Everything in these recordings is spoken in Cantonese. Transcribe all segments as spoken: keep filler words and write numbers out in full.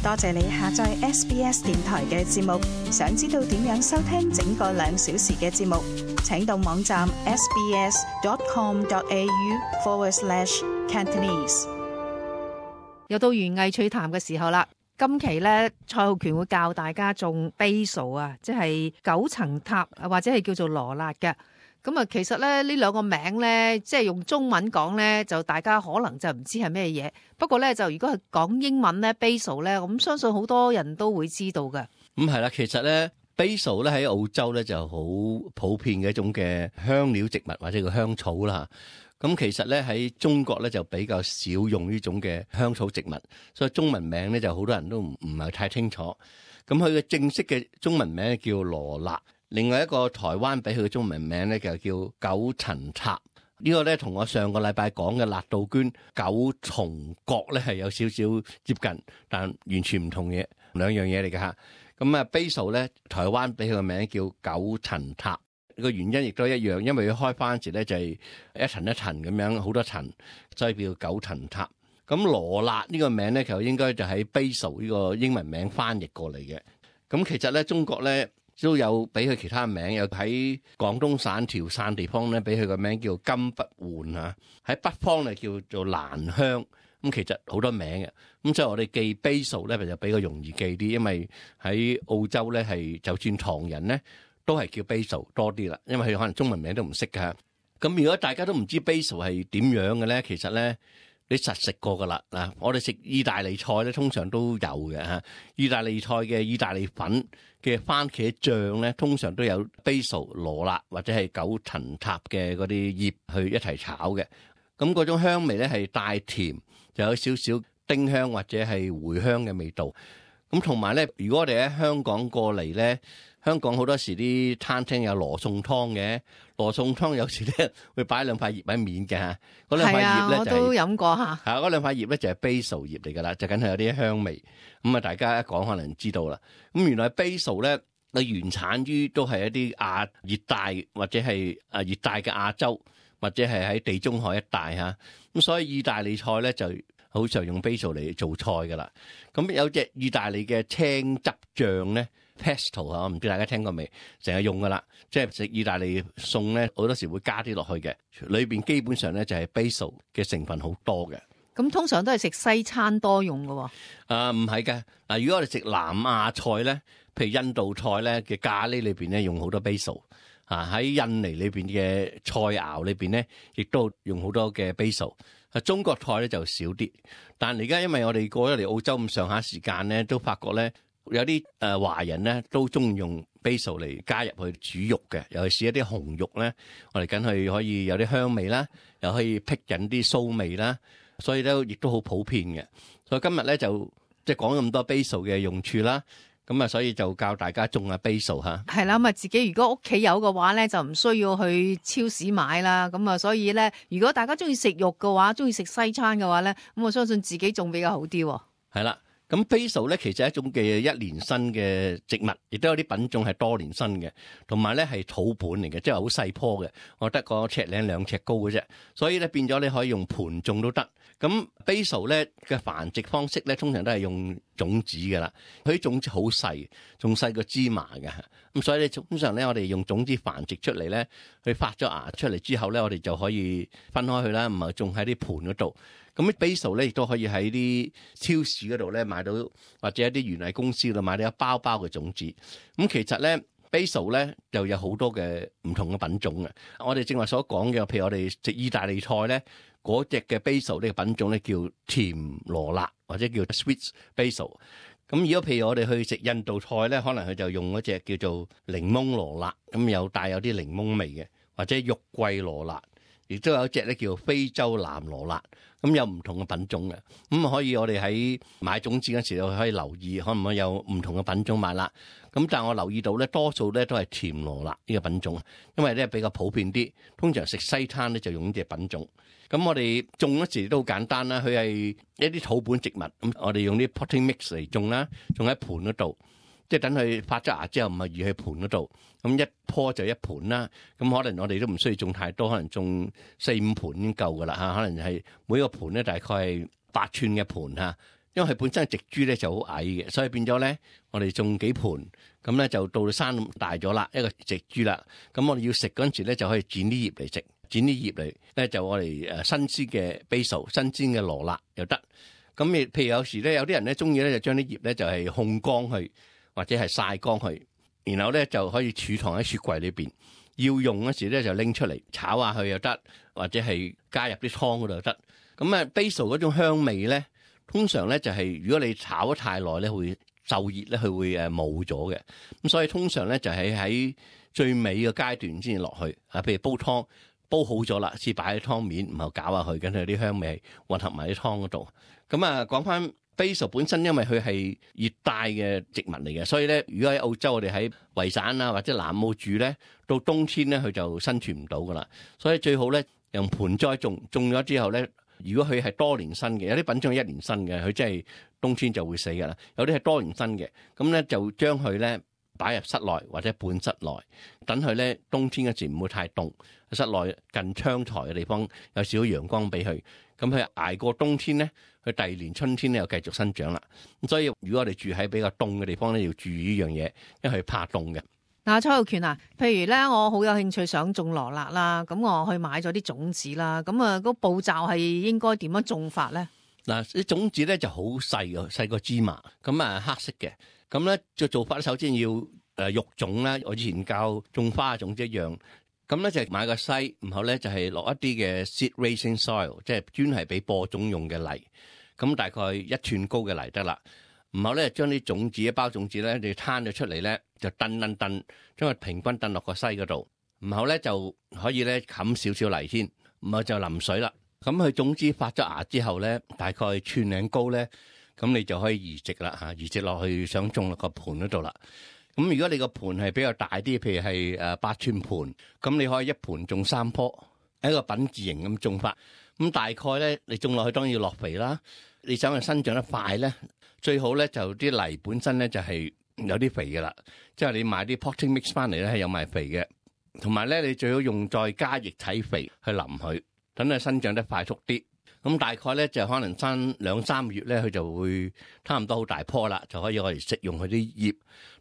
多謝你下載 S B S 電台嘅節目。想知道點樣收聽整個兩小時嘅節目，請到網站 sbs.com.au forward slash Cantonese。又到園藝趣談嘅時候啦。今期咧，蔡浩權會教大家種 basil 啊，即係九層塔或者係叫做羅勒嘅。咁啊，其實咧呢兩個名咧，即係用中文講咧，就大家可能就唔知係咩嘢。不過咧，就如果係講英文咧 basil 咧，咁相信好多人都會知道嘅。咁係啦，其實咧 basil 咧喺澳洲咧就好普遍嘅一種嘅香料植物或者叫香草啦。咁其實咧喺中國咧就比較少用呢種嘅香草植物，所以中文名咧就好多人都唔唔係太清楚。咁佢嘅正式嘅中文名叫羅勒，另外一個台灣俾佢嘅中文名咧就叫九層塔。呢個咧同我上個禮拜講嘅辣杜鵑九重角咧係有少少接近，但完全唔同嘢，兩樣嘢嚟㗎吓。咁啊 basil 咧台灣俾佢嘅名叫九層塔。個原因亦都一樣，因為佢開翻時咧就係一層一層咁樣，好多層，所以叫九層塔。咁羅勒呢個名咧，其實應該就喺 basil 呢個英文名翻譯過嚟嘅。咁其實咧，中國咧都有俾佢其他名，有喺廣東省潮汕地方咧，俾佢個名叫金不換嚇。喺北方咧叫做蘭香。咁其實好多名嘅。咁所以我哋記 basil 咧就比較容易記啲，因為喺澳洲咧係就算唐人咧，都係叫 basil 多啲啦，因為佢可能中文名都唔識㗎。咁如果大家都唔知 basil 係點樣嘅咧，其實咧你實食過噶啦嗱。我哋食意大利菜咧，通常都有嘅嚇。意大利菜嘅意大利粉嘅番茄醬咧，通常都有 basil 羅勒或者係九層塔嘅嗰啲葉去一齊炒嘅。咁嗰種香味咧係帶甜，就有少少丁香或者係茴香嘅味道。咁同埋咧，如果我哋喺香港過嚟咧，香港好多時啲餐廳有羅宋湯嘅，羅宋湯有時咧會擺兩塊葉喺面嘅嚇，嗰兩塊葉咧就係、我都飲過嚇。係嗰兩塊葉咧就係 basil 葉嚟㗎啦，就梗係有啲香味。咁啊，大家一講可能知道啦。咁原來 basil 咧，佢原產於都係一啲亞熱帶或者係啊熱帶嘅亞洲，或者係喺地中海一帶嚇。咁所以意大利菜咧就好常用 basil 嚟做菜㗎啦。咁有隻意大利嘅青汁醬咧 ，pesto 啊，唔知大家聽過未？成日用㗎啦，即係食意大利餸咧，好多時會加啲落去嘅。裏邊基本上咧就係 basil 嘅成分好多嘅。咁通常都係食西餐多用㗎喎。啊，唔係㗎。嗱，如果我哋食南亞菜咧，譬如印度菜咧嘅咖喱裏邊咧用好多 basil。啊！喺印尼裏邊嘅菜肴裏邊咧，亦都用好多嘅 basil。啊，中國菜咧就少啲。但係而家因為我哋過咗嚟澳洲咁上下時間咧，都發覺咧有啲誒華人咧都中意用 basil 嚟加入去煮肉嘅，尤其是一啲紅肉咧，我哋梗係可以有啲香味啦，又可以辟引啲臊味啦，所以咧亦都好普遍嘅。所以今日咧就即係講咁多 basil 嘅用處啦。咁啊，所以就教大家種下 basil 嚇。係啦，咁啊，自己如果屋企有嘅話咧，就唔需要去超市買啦。咁啊，所以咧，如果大家中意食肉嘅話，中意食西餐嘅話咧，咁我相信自己種比較好啲。係啦，咁 basil 咧其實係一種嘅一年生嘅植物，亦都有啲品種係多年生嘅，同埋咧係土本嚟嘅，即係好細棵嘅，我得個尺零兩尺高嘅啫。所以咧變咗你可以用盤種都得。咁 basil 咧嘅繁殖方式咧，通常都係用種子㗎啦。佢啲種子好細，仲細過芝麻嘅。咁所以咧，通常咧，我哋用種子繁殖出嚟咧，佢發咗芽出嚟之後咧，我哋就可以分開佢啦，唔係種喺啲盤嗰度。咁 basil 咧亦都可以喺啲超市嗰度咧買到，或者一啲園藝公司度買到一包包嘅種子。咁其實咧 basil 咧就有好多嘅唔同嘅品種嘅。我哋正話所講嘅，譬如我哋食意大利菜咧。嗰隻嘅 basil 呢個品種咧叫甜羅勒或者叫 sweet basil。咁如果譬如我哋去食印度菜咧，可能佢就用嗰隻叫做檸檬羅勒，咁有帶有啲檸檬味嘅，或者肉桂羅勒，亦都有一隻咧叫非洲藍羅勒。咁有唔同嘅品種嘅，咁可以我哋喺買種子嗰時候可以留意，可唔可以有唔同嘅品種買啦？咁但係我留意到咧，多數咧都係甜羅勒呢個品種，因為咧比較普遍啲，通常食西餐咧就用呢隻品種。咁我哋種嗰時都好簡單啦，佢係一啲土本植物，咁我哋用啲 potting mix 嚟種啦，種喺盤嗰度，即係等佢發咗芽之後，唔係移去盤嗰度，咁一棵就一盤啦。咁可能我哋都唔需要種太多，可能種四五盤已經夠噶啦嚇。可能係每個盤咧大概係八寸嘅盤嚇，因為佢本身嘅植株咧就好矮嘅，所以變咗咧我哋種幾盆，咁咧就到生大咗啦，一個植株啦。咁我哋要食嗰陣時咧就可以剪啲葉嚟食，剪啲葉嚟咧就我哋誒新鮮嘅 basil、新鮮嘅羅勒又得。咁亦譬如有時咧有啲人咧中意咧就將啲葉咧就係烘乾去，或者係曬乾去，然後咧就可以儲藏喺雪櫃裏邊。要用嗰時咧就拎出嚟炒下去又得，或者係加入啲湯嗰度又得。咁啊 basil 嗰種香味咧，通常咧就係如果你炒得太耐咧，會受熱咧，佢會誒冇咗嘅。咁所以通常咧就係喺最尾嘅階段先落去啊。譬如煲湯煲好咗啦，先擺喺湯面，然後攪下去，跟住啲香味混合埋啲湯嗰度。咁啊，講翻 basil 本身，因為佢係熱帶嘅植物嚟嘅，所以咧，如果喺澳洲我哋喺維省啊或者南澳住咧，到冬天咧佢就生存唔到噶啦。所以最好咧用盆栽種，種咗之後咧，如果佢係多年生嘅，有啲品種係一年生嘅，佢真係冬天就會死噶啦。有啲係多年生嘅，咁咧就將佢咧擺入室內或者半室內，等佢咧冬天嗰時唔會太凍，室內近窗台嘅地方有少少陽光俾佢，咁佢捱過冬天咧，佢第二年春天咧又繼續生長啦。咁所以如果我哋住喺比較凍嘅地方咧，要注意呢樣嘢，因為佢怕凍嘅。嗱，蔡浩權啊，譬如咧，我好有興趣想種羅勒啦，咁我去買咗啲種子啦，咁啊，個步驟係應該點樣種法咧？嗱，啲種子咧就好細嘅，細過芝麻，咁啊黑色嘅，咁咧就做法首先要誒育種啦，我以前教種花嘅種子一樣，咁咧就買個篩，然後咧就係落一啲嘅 seed raising soil，即係專係俾播種用嘅泥，咁大概一寸高嘅泥得啦。然後咧將啲種子一包種子咧，你攤咗出嚟咧，就燉燉燉，將佢平均燉落個篩嗰度。然後咧就可以咧冚少少泥先，然後就淋水啦。咁佢種子發咗芽之後咧，大概寸零高咧，咁你就可以移植啦嚇，移植落去想種落個盤嗰度啦。咁如果你個盤係比較大啲，譬如係誒八寸盤，咁你可以一盤種三棵，一個品字形咁種法。咁大概咧，你種落去當然要落肥啦。你想佢生長得快咧，最好咧就啲泥本身咧就係有啲肥嘅啦，即係你買啲 potting mix 翻嚟咧係有埋肥嘅，同埋咧你最好用再加液體肥去淋佢，等佢生長得快速啲。咁大概咧就可能生兩三個月咧，佢就會差唔多好大棵啦，就可以我哋食用佢啲葉。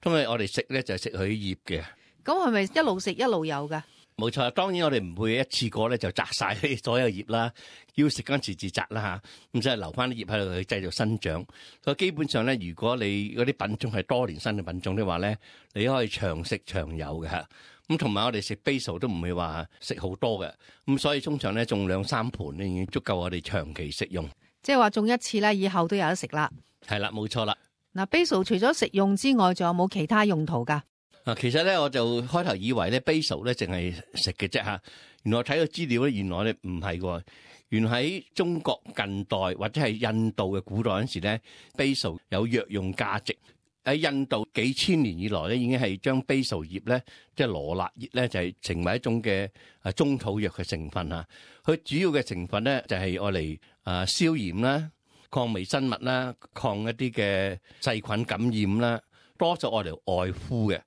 因為我哋食咧就係食佢啲葉嘅。咁係咪一路食一路有㗎？冇錯，當然我哋唔會一次過咧就摘晒所有葉啦，要食嗰陣時自摘啦嚇，咁即係留翻啲葉喺度去繼續生長。所以基本上咧，如果你嗰啲品種係多年生嘅品種的話咧，你可以長食長有嘅嚇。咁同埋我哋食 basil 都唔會話食好多嘅，咁所以通常咧種兩三盤咧已經足夠我哋長期食用。即係話種一次咧，以後都有得食啦。係啦，冇錯啦。嗱 basil 除咗食用之外，仲有冇其他用途㗎？嗱，其實咧我就開頭以為咧 basil 咧淨係食嘅啫嚇，原來睇個資料咧，原來咧唔係喎。原來喺中國近代或者係印度嘅古代嗰陣時咧 ，basil 有藥用價值。喺印度幾千年以來咧，已經係將 basil 葉咧，即係羅勒葉咧，就係成為一種嘅啊中草藥嘅成分啊。佢主要嘅成分咧就係愛嚟啊消炎啦、抗微生物啦、抗一啲嘅細菌感染啦，多數愛嚟外敷嘅。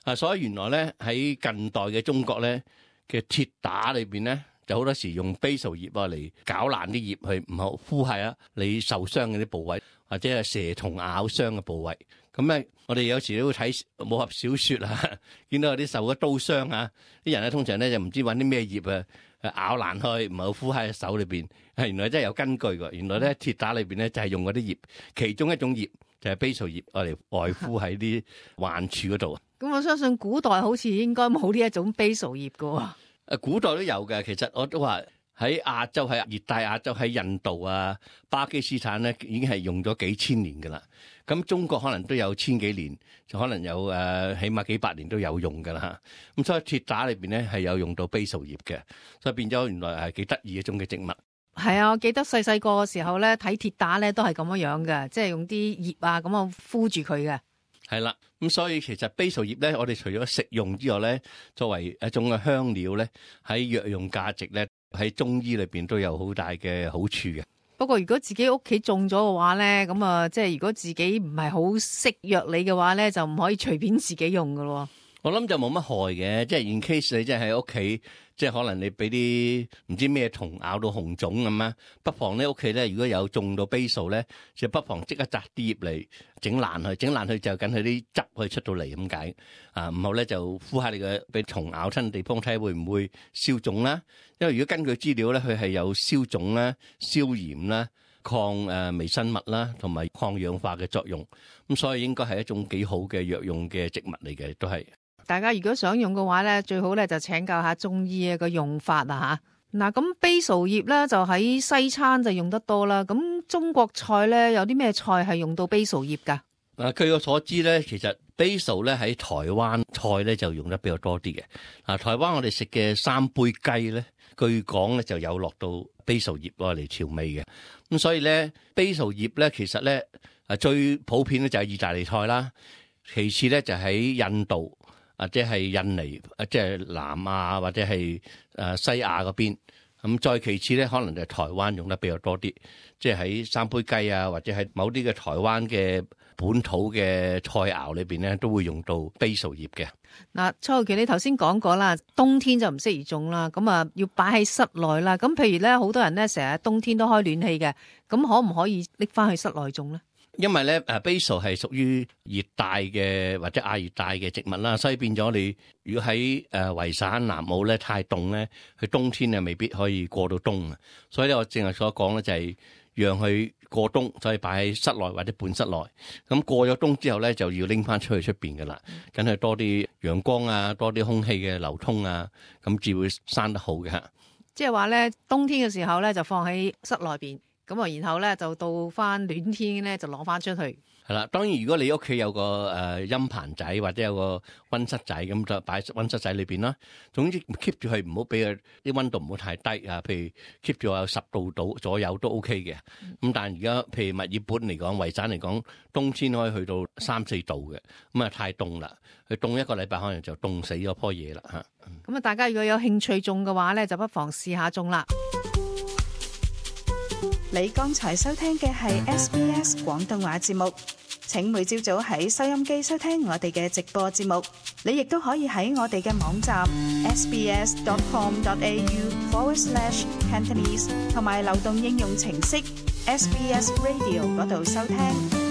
啊，所以原來咧喺近代嘅中國咧嘅鐵打裏邊咧，就好多時用 basil 葉啊嚟攪爛啲葉去，唔好敷係啊你受傷嘅啲部位，或者係蛇蟲咬傷嘅部位。咁咧，我哋有時都會睇武俠小説啊，見到有啲受咗刀傷啊，啲人咧通常咧就唔知揾啲咩葉啊咬爛去，唔好敷喺手裏邊。係原來真係有根據㗎。原來咧鐵打裏邊咧就係用嗰啲葉，其中一種葉就係 basil 葉，我嚟外敷喺啲患處嗰度。咁我相信古代好似應該冇呢一種 basil 葉㗎喎。誒，古代都有嘅。其實我都話喺亞洲，喺熱帶亞洲，喺印度啊、巴基斯坦咧，已經係用咗幾千年㗎啦。咁中國可能都有千幾年，就可能有誒、呃，起碼幾百年都有用㗎啦。咁所以鐵打裏邊咧係有用到 basil 葉嘅，所以變咗原來係幾得意一種嘅植物。係啊，我記得細細個嘅時候咧睇鐵打咧都係咁樣樣嘅，即係用啲葉啊咁啊敷住佢嘅。係啦，咁所以其實 basil 葉咧，我哋除咗食用之外咧，作為一種嘅香料咧，喺藥用價值咧，喺中醫裏邊都有好大嘅好處嘅。不過如果自己屋企種咗嘅話咧，咁啊，即係如果自己唔係好識藥理嘅話咧，就唔可以隨便自己用噶咯。我諗就冇乜害嘅，即係 in case 你真係喺屋企，即係可能你俾啲唔知咩蟲咬到紅腫咁啊，不妨咧屋企咧如果有種到 basil 咧，就不妨即刻摘啲葉嚟整爛佢，整爛佢就緊佢啲汁可以出到嚟咁解啊。唔好咧就敷下你嘅俾蟲咬親地方，睇下會唔會消腫啦。因為如果根據資料咧，佢係有消腫啦、消炎啦、抗誒微生物啦，同埋抗氧化嘅作用。咁所以應該係一種幾好嘅藥用嘅植物嚟嘅，都係。大家如果想用嘅話咧，最好咧就請教下中醫嘅個用法啊吓。嗱，咁 basil 葉咧就喺西餐就用得多啦。咁中國菜咧有啲咩菜係用到 basil 葉噶？嗱，據我所知咧，其實 basil 咧喺台灣菜咧就用得比較多啲嘅。嗱，台灣我哋食嘅三杯雞咧，據講咧就有落到 basil 葉攞嚟調味嘅。咁所以咧 basil 葉咧其實咧啊最普遍咧就係意大利菜啦，其次咧就喺印度。或者係印尼，即係南亞或者係誒西亞嗰邊，咁再其次咧，可能就係台灣用得比較多啲，即係喺三杯雞啊，或者係某啲嘅台灣嘅本土嘅菜肴裏邊咧，都會用到 basil 葉嘅。嗱，蔡浩權你頭先講過啦，冬天就唔適宜種啦，咁啊要擺喺室內啦。咁譬如咧，好多人咧成日冬天都開暖氣嘅，咁可唔可以拎翻去室內種咧？因為咧，誒 basil 係屬於熱帶嘅或者亞熱帶嘅植物啦，所以變咗你如果喺誒維省南澳咧太凍咧，佢冬天啊未必可以過到冬啊。所以咧，我正係所講咧就係讓佢過冬，所以擺喺室內或者半室內。咁過咗冬之後咧，就要拎翻出去出邊噶啦，梗係多啲陽光啊，多啲空氣嘅流通啊，咁至會生得好嘅嚇。即係話咧，冬天嘅時候咧就放喺室內邊。咁啊，然後咧就到翻暖天咧，就攞翻出去。係啦，當然如果你屋企有個誒陰棚仔或者有個溫室仔，咁就擺溫室仔裏邊啦。總之 keep 住佢，唔好俾佢啲溫度唔好太低啊。譬如 keep 住有十度度左右都 OK 嘅。咁但係而家譬如墨爾本嚟講，維省嚟講，冬天可以去到三四度嘅，咁啊太凍啦。佢凍一個禮拜可能就凍死咗棵嘢啦嚇。咁啊，大家如果有興趣種嘅話咧，就不妨試下種啦。你剛才收聽嘅係 S B S 廣東話節目，請每朝早喺收音機收聽我哋嘅直播節目。你亦都可以喺我哋嘅網站 sbs.com.au forward slash Cantonese 同埋流動應用程式 S B S Radio 嗰度收聽。